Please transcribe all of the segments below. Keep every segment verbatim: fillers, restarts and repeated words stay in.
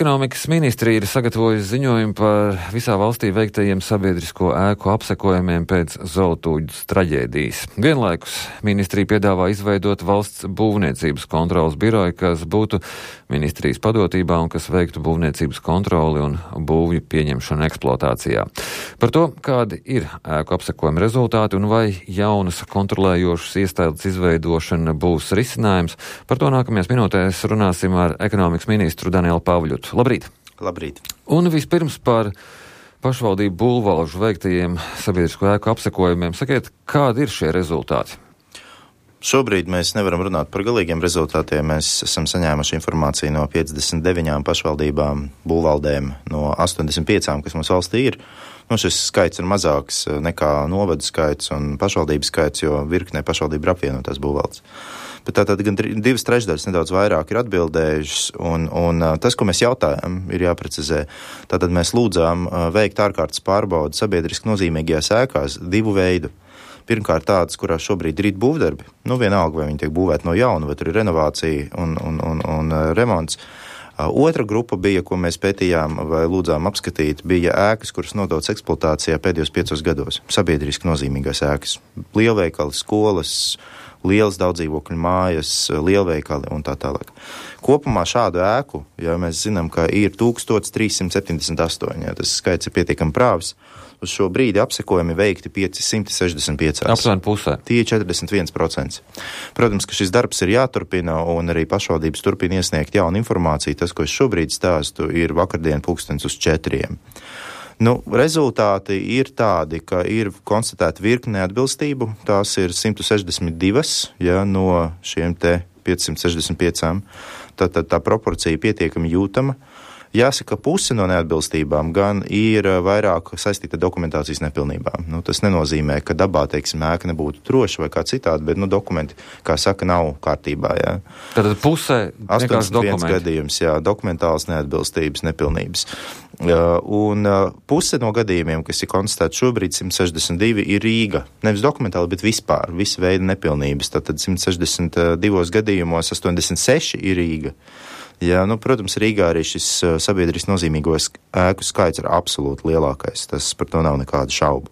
Ekonomikas ministrija ir sagatavojusi ziņojumu par visā valstī veiktajiem sabiedrisko ēku apsekojumiem pēc Zoltūģas traģēdijas. Vienlaikus ministrija piedāvā izveidot valsts būvniecības kontrolas biroju, kas būtu ministrijas padotībā un kas veiktu būvniecības kontroli un būvju pieņemšanu eksploatācijā. Par to, kādi ir ēku apsekojuma rezultāti un vai jaunas kontrolējošas iestādes izveidošana būs risinājums, par to nākamajās minūtēs runāsim ar ekonomikas ministru Danielu Pavļutu. Labrīt! Labrīt! Un vispirms par pašvaldību būvvalžu veiktajiem sabiedrisko ēku apsekojumiem. Sakiet, kādi ir šie rezultāti? Šobrīd mēs nevaram runāt par galīgiem rezultātiem. Mēs esam saņēmuši informāciju no piecdesmit deviņām pašvaldībām, būvvaldēm, no astoņdesmit piecām, kas mums valstī ir. Nu, šis skaits ir mazāks nekā novadu skaits un pašvaldības skaits, jo virknē pašvaldību ir apvienotās būvvaldes. Bet tātad gan divas trešdaļas nedaudz vairāk ir atbildējušas, un, un tas, ko mēs jautājam, ir jāprecizē. Tātad mēs lūdzām veikt ārkārtas pārbaudi sabiedriski nozīmīgajās ēkās divu veidu. Pirmkārt tādas, kurās šobrīd ir būvdarbi, nu vienalga, vai viņi tiek būvēti no jauna, vai tur ir renovācija un, un, un, un remonts. Otra grupa bija, ko mēs pētījām vai lūdzām apskatīt, bija ēkas, kuras nodotas eksploatācijā pēdējos piecos gados. Sabiedriski nozīmīgās ēkas. Lielveikali, skolas, lielas daudzdzīvokļu mājas, lielveikali un tā tālāk. Kopumā šādu ēku, ja mēs zinām, ka ir tūkstoš trīs simti septiņdesmit astoņi, ja tas skaits ir pietiekami prāvis, uz šo brīdi apsekojumi veikti piecsimt sešdesmit pieci. Aptuveni pusē. Tie ir četrdesmit viens procents. Protams, ka šis darbs ir jāturpina un arī pašvaldības turpina iesniegt jaunu informāciju. Tas, ko es šobrīd stāstu, ir vakardien pulkstens uz četriem. Nu, rezultāti ir tādi, ka ir konstatēta virkne neatbilstību. Tās ir simt sešdesmit divas, ja, no šiem te piecsimt sešdesmit piecām. Tātad tā proporcija pietiekami jūtama. Jāsaka, puse no neatbilstībām gan ir vairāk saistīta dokumentācijas nepilnībām. Nu, tas nenozīmē, ka dabā, teiksim, ēka nebūtu droša vai kā citādi, bet, nu, dokumenti, kā saka, nav kārtībā, jā. Tātad pusē vienkārši dokumenti. Gadījums, jā, dokumentāls neatbilstības, nepilnības. Un puse no gadījumiem, kas ir konstatēti šobrīd, simt sešdesmit divi, ir Rīga. Nevis dokumentāli, bet vispār, visa veida nepilnības. Tātad simt sešdesmit divos gadījumos astoņdesmit seši ir Rīga. Jā, nu, protams, Rīgā arī šis sabiedriski nozīmīgos ēku skaits ir absolūti lielākais. Tas par to nav nekāda šaubu.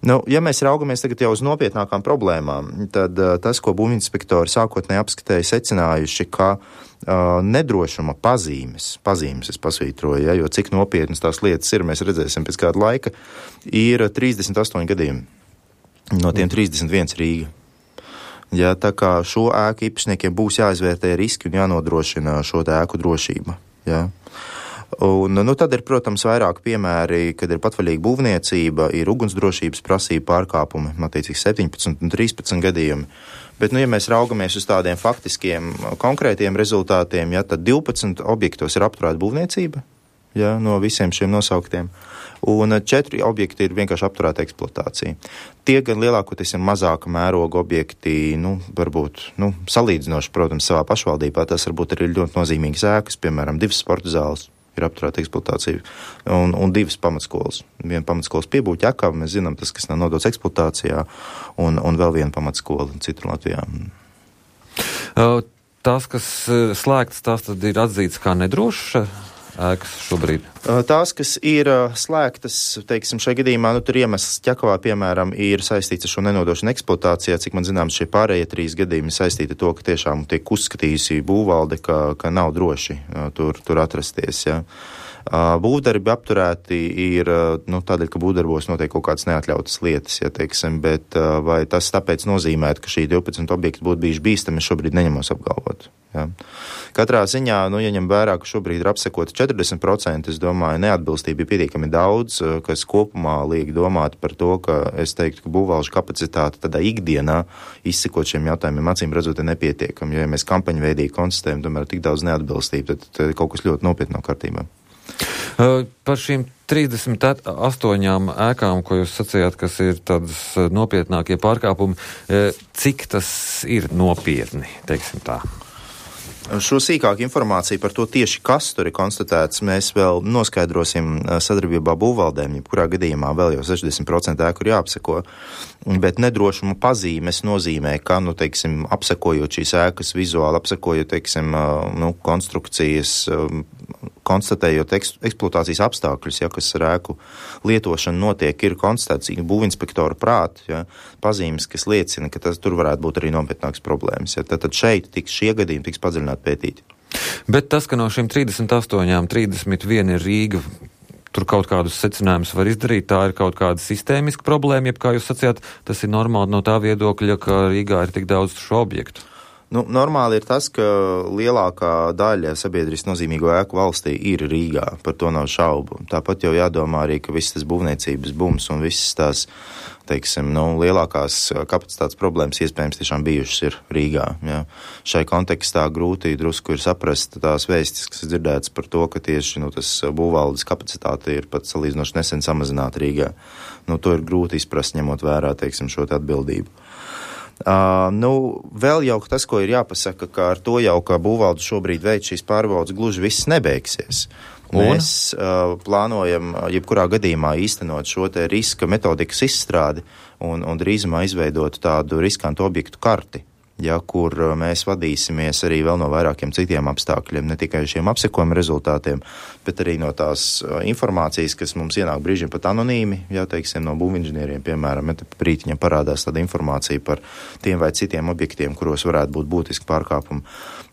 Nu, ja mēs raugamies tagad jau uz nopietnākām problēmām, tad uh, tas, ko būvinspektori sākotnēji apskatēja, secinājuši, ka uh, nedrošuma pazīmes, pazīmes es pasvītroju, ja, jo cik nopietnas tās lietas ir, mēs redzēsim pēc kāda laika, ir trīsdesmit astoņi gadījumi. No tiem trīsdesmit viens Rīga. Ja, tā kā šo ēku īpašniekiem būs jāizvērtē riski un jānodrošina šo ēku drošība. Ja. Un, nu, tad ir, protams, vairāk piemēri, kad ir patvaļīga būvniecība, ir ugunsdrošības prasība pārkāpumi, attiecīgi septiņpadsmit un trīspadsmit gadījumi. Bet, nu, ja mēs raugamies uz tādiem faktiskiem, konkrētiem rezultātiem, ja, tad divpadsmit objektos ir apturēta būvniecība, ja, no visiem šiem nosauktiem. Un četri objekti ir vienkārši apturēta eksploatācija. Tie gan lielākoties ir mazāka mēroga objekti, nu, varbūt, nu, salīdzinoši, protams, savā pašvaldībā. Tas varbūt arī ļoti nozīmīgas ēkas, piemēram, divas sporta zāles ir apturēta eksploatācija un, un divas pamatskolas. Viena pamatskolas piebūķa Ķekava, mēs zinām, tas, kas nav nodots eksploatācijā, un, un vēl viena pamatskola citur Latvijā. Uh, tās, kas slēgtas, tās tad ir atzītas kā nedrošas ēkas šobrīd? Tās, kas ir slēgtas, teiksim, šajā gadījumā, nu, tur iemesls Ķekavā, piemēram, ir saistīts ar šo nenodošanu eksploatācijā. Cik man zināms, šie pārējie trīs gadījumi saistīti ar to, ka tiešām tiek uzskatījusi būvvalde, ka, ka nav droši tur, tur atrasties, ja. Būvdarbi apturēti ir, nu, tādēļ, ka būvdarbos notiek kaut kādas neatļautas lietas, ja, teiksim, bet vai tas tāpēc nozīmētu, ka šī divpadsmit objekti būtu bijuši bīstami, šobrīd neņemos apgalvot. Ja. Katrā ziņā, nu, ja ņem vērā, ka šobrīd ir apsekoti četrdesmit procenti, es domāju, neatbilstība ir pietiekami daudz, kas kopumā liek domāt par to, ka es teiktu, ka būvvalžu kapacitāte tādā ikdienā izsekot šiem jautājumiem acīm redzot ir nepietiekami, jo ja mēs kampaņu veidīgi konstatējam, tomēr tik daudz neatbilstība, tad, tad kaut kas ļoti nopietni nav kārtībā. Uh, par šīm trīsdesmit astoņām ēkām, ko jūs sacījāt, kas ir tādas nopietnākie pārkāpumi, uh, cik tas ir nopietni, teiksim tā? Šo sīkāku informāciju par to tieši, kas tur ir konstatēts, mēs vēl noskaidrosim sadarbībā būvvaldēm, jebkurā gadījumā vēl jau sešdesmit procenti ēku ir jāapseko, bet nedrošuma pazīmes nozīmē, ka, nu, teiksim, apsekojot šīs ēkas vizuāli, apsekojot, teiksim, nu, konstrukcijas, konstatējot eks, eksploatācijas apstākļus, ja, kas ar ēku lietošanu notiek, ir konstatēts būvinspektora prāt, ja, pazīmes, kas liecina, ka tas tur varētu būt arī nopietnākas problēmas. Ja. Tad šeit tiks šie gadījumi tiks padziļināti pētīti. Bet tas, ka no šīm trīsdesmit astoņām trīsdesmit viena ir Rīga, tur kaut kādus secinājumus var izdarīt, tā ir kaut kāda sistēmiska problēma, jeb kā jūs sacījāt, tas ir normāli no tā viedokļa, ka Rīgā ir tik daudz šo objektu. Nu, normāli ir tas, ka lielākā daļa sabiedriski nozīmīgo ēku valstī ir Rīgā, par to nav šaubu. Tāpat jau jādomā arī, ka viss tas būvniecības bums un visas tās, teiksim, nu, lielākās kapacitātes problēmas iespējams tiešām bijušas ir Rīgā. Ja. Šai kontekstā grūti drusku ir saprast tās vēstis, kas dzirdētas par to, ka tieši nu, tas būvvaldes kapacitāte ir pat salīdzinoši nesen samazināta Rīgā. Nu, to ir grūti izprast, ņemot vērā, teiksim, šo te atbildību. Uh, nu, vēl jau tas, ko ir jāpasaka, ka ar to jau, ka būvvalde šobrīd veic šīs pārbaudas, gluži viss nebeigsies. Mēs uh, plānojam jebkurā gadījumā īstenot šo te riska metodikas izstrādi un, un drīzumā izveidot tādu riskantu objektu karti, ja, kur mēs vadīsimies arī vēl no vairākiem citiem apstākļiem, ne tikai šiem apsekojuma rezultātiem, bet arī no tās informācijas, kas mums ienāk brīžiem pat anonīmi, ja, teiksim, no būvinženieriem, piemēram, ja brītiņam parādās tāda informācija par tiem vai citiem objektiem, kuros varētu būt būtiski pārkāpumi.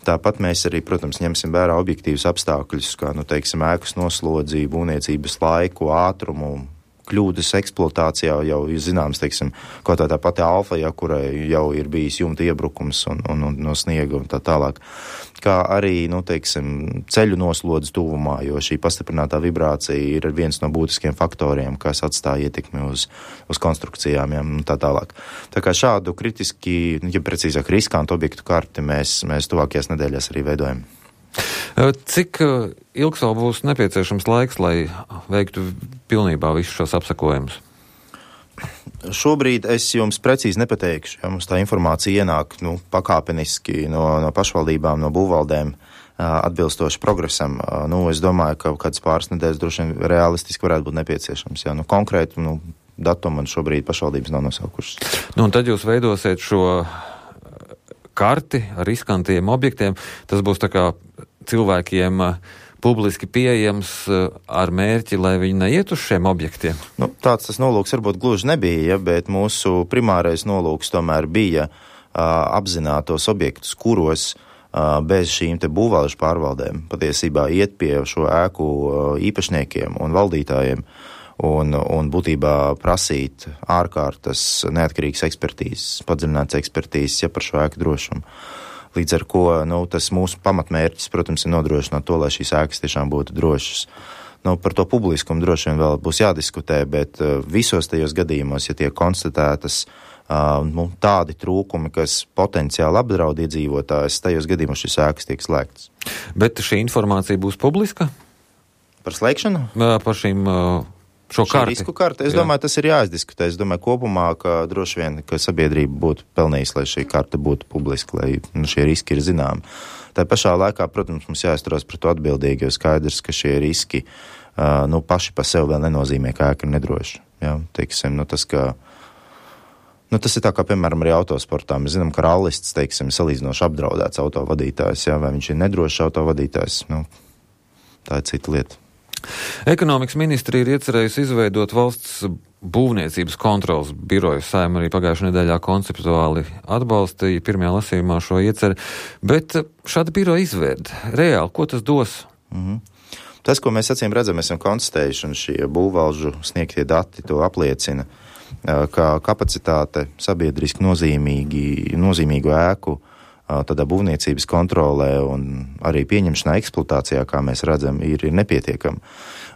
Tāpat mēs arī, protams, ņemsim vērā objektīvus apstākļus, kā, nu, teiksim, ēkas noslodzi, būvniecības laiku, ātrumu, kļūdas eksploatācijā jau ir zināms, teiksim, kaut tā tā pati alfa, ja, kurai jau ir bijis jumta iebrukums un, un, un no sniega un tā tālāk. Kā arī, nu, teiksim, ceļu noslodzes tuvumā, jo šī pastiprinātā vibrācija ir viens no būtiskiem faktoriem, kas atstāja ietekmi uz, uz konstrukcijām, ja, un tā tālāk. Tā kā šādu kritiski, ja precīzāk riskantu objektu karti mēs, mēs tuvākajās nedēļās arī veidojam. Cik ilgs vēl būs nepieciešams laiks, lai veiktu pilnībā visus šos apsekojumus? Šobrīd es jums precīzi nepateikšu, ja mums tā informācija ienāk nu, pakāpeniski no, no pašvaldībām, no būvvaldēm atbilstoši progresam. Nu, es domāju, ka kāds pāris nedēļas droši vien realistiski varētu būt nepieciešams. Ja? Nu, konkrētu nu, datumu man šobrīd pašvaldības nav nosaukušas. Nu, un tad jūs veidosiet šo karti ar riskantiem objektiem. Tas būs tā kā cilvēkiem publiski pieejams ar mērķi, lai viņi neiet uz šiem objektiem? Nu, tāds tas nolūks varbūt gluži nebija, ja, bet mūsu primārais nolūks tomēr bija uh, apzināt tos objektus, kuros uh, bez šīm te būvvalžu pārvaldēm patiesībā iet pie šo ēku uh, īpašniekiem un valdītājiem un, un būtībā prasīt ārkārtas neatkarīgas ekspertīzes, padziļinātas ekspertīzes, ja par šo ēku drošumu. Līdz ar ko, nu, tas mūsu pamatmērķis, protams, ir nodrošināt to, lai šīs ēkas tiešām būtu drošas. Nu, par to publiskumu droši vien vēl būs jādiskutē, bet uh, visos tajos gadījumos, ja tiek konstatētas uh, nu, tādi trūkumi, kas potenciāli apdraud iedzīvotājus, tajos gadījumos šīs ēkas tiek slēgtas. Bet šī informācija būs publiska? Par slēgšanu? Par šīm... Uh... Šo karti. Risku karti. Es Jā. domāju, tas ir jāizdiskutē. Es domāju kopumā, ka droši vien, ka sabiedrība būtu pelnījusi, lai šī karta būtu publiska, lai nu, šie riski ir zināmi. Tā pašā laikā, protams, mums jāizturās par to atbildīgi, jo skaidrs, ka šie riski uh, nu, paši pa sev vēl nenozīmē, ka ēka ir nedroša. Jā, teiksim, nu, tas, ka, nu, tas ir tā kā, piemēram, arī autosportā. Mēs zinām, ka rallists, teiksim, salīdzinoši apdraudēts autovadītājs, jā, vai viņš ir nedrošs autovadītājs. Nu, tā ir cita lieta. Ekonomikas ministri ir iecerējusi izveidot valsts būvniecības kontrolas biroju. Saeima arī pagājušajā nedēļā konceptuāli atbalstīja pirmajā lasījumā šo ieceri, bet šāda biroja izveida reāli, ko tas dos? Mm-hmm. Tas, ko mēs acīm redzam, esam konstatējuši, un šie būvvalžu sniegtie dati to apliecina, ka kapacitāte sabiedriski nozīmīgi, nozīmīgu ēku tādā būvniecības kontrolē un arī pieņemšanā eksploatācijā, kā mēs redzam, ir, ir nepietiekama.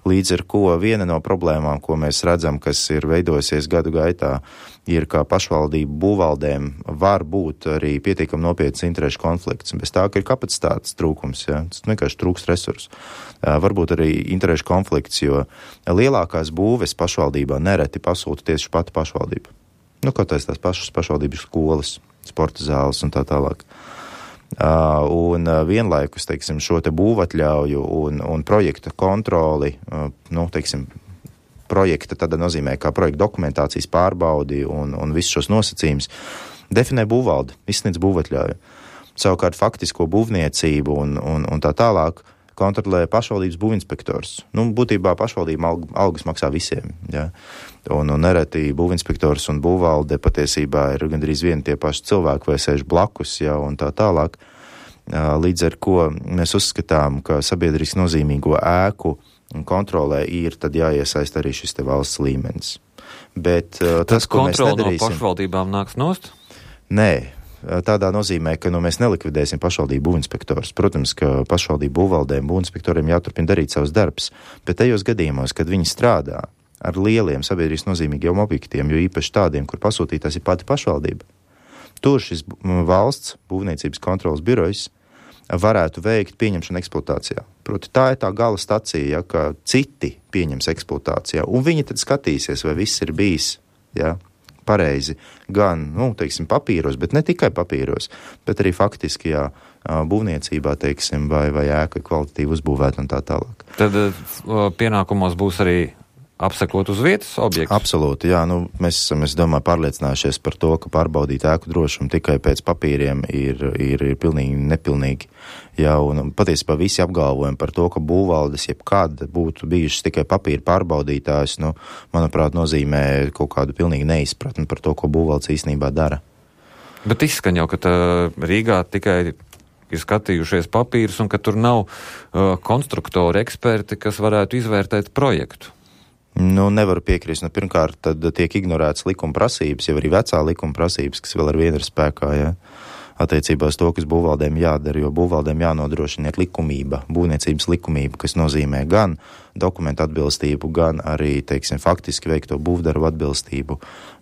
Līdz ar ko viena no problēmām, ko mēs redzam, kas ir veidojusies gadu gaitā, ir, ka pašvaldību būvvaldēm var būt arī pietiekami nopietns interešu konflikts. Bez tā, ka ir kapacitātes trūkums, ja? Tas vienkārši trūkst resursu. Varbūt arī interešu konflikts, jo lielākās būves pašvaldībā nereti pasūta tieši pati pašvaldība. Nu, kaut tās tās pašas pašvaldības skolas, sporta zāles un tā tālāk. Uh, un uh, vienlaikus, teiksim, šo te būvatļauju un, un projekta kontroli, uh, nu, teiksim, projekta tādā nozīmē, kā projekta dokumentācijas pārbaudi un, un visus šos nosacījumus definē būvvalde, izsniedz būvatļauju. Savukārt faktisko būvniecību un, un, un tā tālāk kontrolē pašvaldības būvinspektors. Nu, būtībā pašvaldība alg, algas maksā visiem, ja. Un, un nereti būvinspektors un būvvalde patiesībā ir gandrīz vieni tie paši cilvēki vai sēž blakus, ja, un tā tālāk. Līdz ar ko mēs uzskatām, ka sabiedriski nozīmīgo ēku kontrolē ir tad jāiesaist arī šis te valsts līmenis. Bet tas, tas ko mēs nedarīsim... Kontrole no pašvaldībām nāks nost? Nē. Tādā nozīmē, ka nu, mēs nelikvidēsim pašvaldību būvinspektors. Protams, ka pašvaldību būvvaldēm, būvinspektoriem jāturpina darīt savus darbus, bet tajos gadījumos, kad viņi strādā ar lieliem sabiedrības nozīmīgiem objektiem, jo īpaši tādiem, kur pasūtītājs ir pati pašvaldība, tur šis valsts būvniecības kontrolas birojs varētu veikt pieņemšanu eksploatācijā. Proti, tā ir tā gala stacija, ja, ka citi pieņems eksploatācijā, un viņi tad skatīsies, vai viss ir bijis, ja, pareizi, gan, nu, teiksim, papīros, bet ne tikai papīros, bet arī faktiski, jā, būvniecībā, teiksim, vai, vai ēka kvalitatīvi uzbūvēt un tā tālāk. Tad pienākumos būs arī apsekot uz vietas objektus? Absolūti, jā, nu, mēs esam, es domāju, pārliecinājušies par to, ka pārbaudīt ēku drošumu tikai pēc papīriem ir, ir, ir pilnīgi nepilnīgi, jā, un patiesībā visi apgalvojumi par to, ka būvvaldes jebkad būtu bijušas tikai papīra pārbaudītājs, nu, manuprāt, nozīmē kaut kādu pilnīgi neizpratni par to, ko būvvaldes īstenībā dara. Bet izskan jau, ka tā Rīgā tikai ir skatījušies papīrus un ka tur nav uh, konstruktori, eksperti, kas varētu izvērtēt projektu. Nu, nevaru piekrist. Nu, pirmkārt, tad tiek ignorētas likuma prasības, jau arī vecā likuma prasības, kas vēl ar vienu ir spēkā, ja, attiecībā uz to, kas būvvaldēm jādara, jo būvvaldēm jānodrošina likumība, būvniecības likumība, kas nozīmē gan dokumentu atbilstību, gan arī, teiksim, faktiski veikto būvdarbu atbilstību,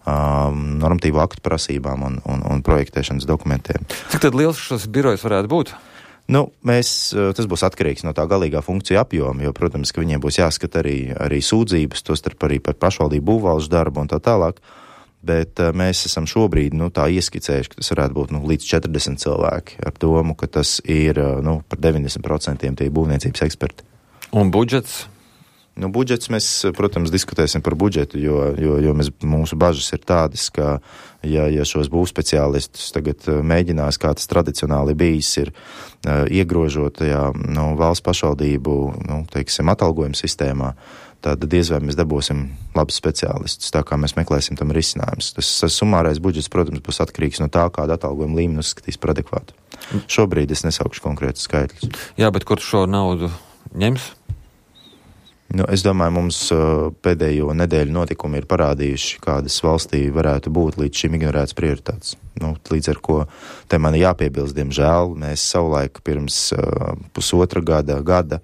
um, normatīvu aktu prasībām un, un, un projektēšanas dokumentiem. Cik tad liels šis birojs varētu būt? Nu, mēs, tas būs atkarīgs no tā galīgā funkcija apjoma, jo, protams, ka viņiem būs jāskata arī, arī sūdzības, tostarp arī par pašvaldību būvvaldes darbu un tā tālāk, bet mēs esam šobrīd, nu, tā ieskicējuši, ka tas varētu būt, nu, līdz četrdesmit cilvēki ar domu, ka tas ir, nu, par deviņdesmit procentiem tie būvniecības eksperti. Un budžets? Nu, budžets mēs, protams, diskutēsim par budžetu, jo, jo, jo mēs, mūsu bažas ir tādas, ka, ja, ja šos būvspeciālistus tagad mēģinās, kā tas tradicionāli bijis, ir uh, iegrožotajā, nu, valsts pašvaldību, nu, teiksim, atalgojuma sistēmā, tad diez vai mēs dabūsim labus speciālistus, tā kā mēs meklēsim tam risinājumus. Tas, tas sumārais budžets, protams, būs atkarīgs no tā, kāda atalgojuma līmeni uzskatīs par adekvātu. Šobrīd es nesaukšu konkrētus skaitļus. Jā, bet kur šo naudu ņems? Nu, es domāju, mums uh, pēdējo nedēļu notikumi ir parādījuši, kādas valstī varētu būt līdz šim ignorētas prioritātes. Nu, līdz ar ko te man jāpiebilst, diemžēl, mēs savulaik pirms uh, pusotra gada, gada,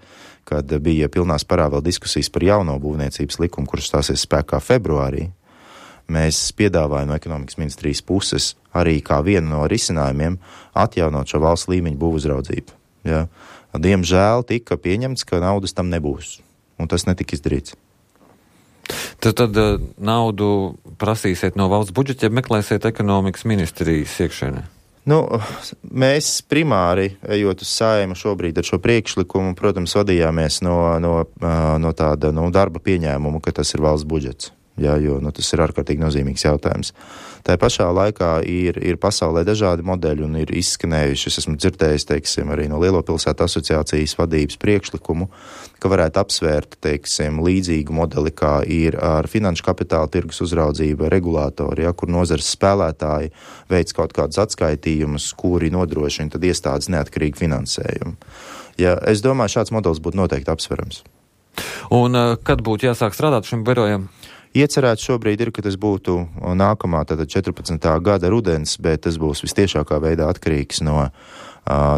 kad bija pilnās parā vēl diskusijas par jauno būvniecības likumu, kurš stāsies spēkā februārī, mēs piedāvājam no ekonomikas ministrijas puses arī kā vienu no risinājumiem atjaunot šo valsts līmeņu būvuzraudzību. Ja? Diemžēl tika pieņemts, ka naudas tam nebūs. Un tas netika izdarīts. Tad, tad naudu prasīsiet no valsts budžeta, ja meklēsiet ekonomikas ministrijas iekšēnē? Nu, mēs primāri, ejot uz Saeimu šobrīd ar šo priekšlikumu, protams, vadījāmies no, no, no tāda no darba pieņēmuma, ka tas ir valsts budžets. Jā, jo nu, tas ir ārkārtīgi nozīmīgs jautājums. Tā pašā laikā ir, ir pasaulē dažādi modeļi un ir izskanējuši, es esmu dzirdējis, teiksim, arī no Lielo pilsētu asociācijas vadības priekšlikumu, ka varētu apsvērt, teiksim, līdzīgu modeli, kā ir ar finanšu kapitāla tirgus uzraudzība, regulātori, ja, kur nozares spēlētāji veic kaut kādus atskaitījumus, kuri nodrošina tad iestādes neatkarīgu finansējumu. Ja, es domāju, šāds modelis būtu noteikti apsverams. Un kad būtu jāsāk strādāt šim birojam? Iecerēts šobrīd ir, ka tas būtu nākamā, tātad četrpadsmitā gada rudens, bet tas būs vistiešākā veidā atkarīgs no,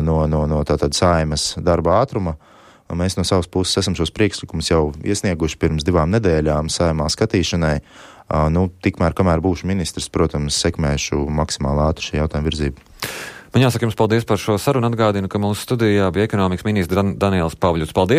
no, no, no tātad Saeimas darba ātruma. Mēs no savas puses esam šos priekšlikumus jau iesnieguši pirms divām nedēļām Saeimā skatīšanai. Nu, tikmēr, kamēr būšu ministrs, protams, sekmēšu maksimāli ātri šī jautājuma virzību. Man jāsaka jums paldies par šo sarunu. Atgādinu, ka mūsu studijā bija ekonomikas ministrs Dan- Daniels Pavļuts. Paldies!